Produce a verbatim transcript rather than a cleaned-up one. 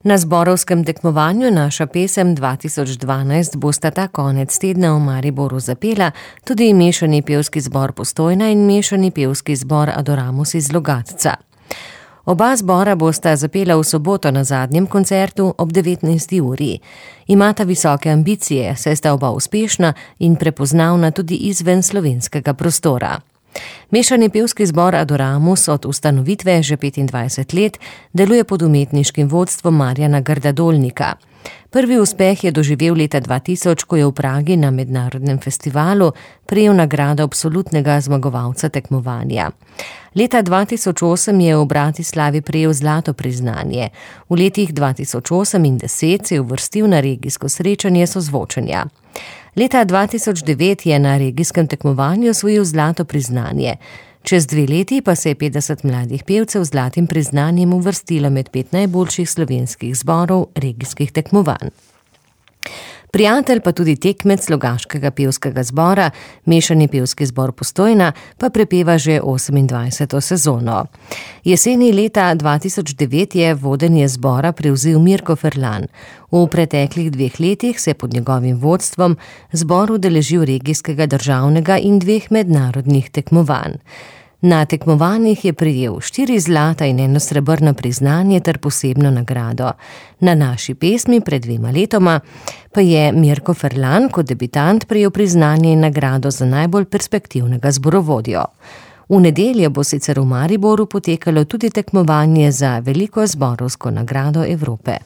Na zborovskem tekmovanju Naša pesem dva tisoč dvanajst bosta ta konec tedna v Mariboru zapela tudi mešani pevski zbor Postojna in mešani pevski zbor Adoramus iz Logatca. Oba zbora bosta zapela v soboto na zadnjem koncertu ob devetnajsti uri. Imata visoke ambicije, saj sta oba uspešna in prepoznavna tudi izven slovenskega prostora. Mešani pevski zbor Adoramus od ustanovitve že petindvajset let deluje pod umetniškim vodstvom Marjana Grda-Dolnika. Prvi uspeh je doživel leta dva tisoč, ko je v Pragi na mednarodnem festivalu prejel nagrado absolutnega zmagovalca tekmovanja. Leta dva tisoč osem je v Bratislavi prejel zlato priznanje. V letih dva tisoč osem in deset se je uvrstil na regijsko srečanje sozvočenja. Leta dva tisoč devet je na regijskem tekmovanju osvojil zlato priznanje. Čez dve leti pa se je petdeset mladih pevcev z zlatim priznanjem uvrstilo med pet najboljših slovenskih zborov regijskih tekmovanj. Prijatelj pa tudi tekmec Logaškega pevskega zbora, mešani pevski zbor Postojna, pa prepeva že osemindvajseto sezono. Jeseni leta dva tisoč devet je vodenje zbora prevzel Mirko Ferlan. V preteklih dveh letih se je pod njegovim vodstvom zbor udeležil regijskega, državnega in dveh mednarodnih tekmovanj. Na tekmovanjih je prejel štiri zlata in eno srebrno priznanje ter posebno nagrado. Na Naši pesmi pred dvema letoma pa je Mirko Ferlan kot debitant prejel priznanje in nagrado za najbolj perspektivnega zborovodjo. V nedeljo bo sicer v Mariboru potekalo tudi tekmovanje za veliko zborovsko nagrado Evrope.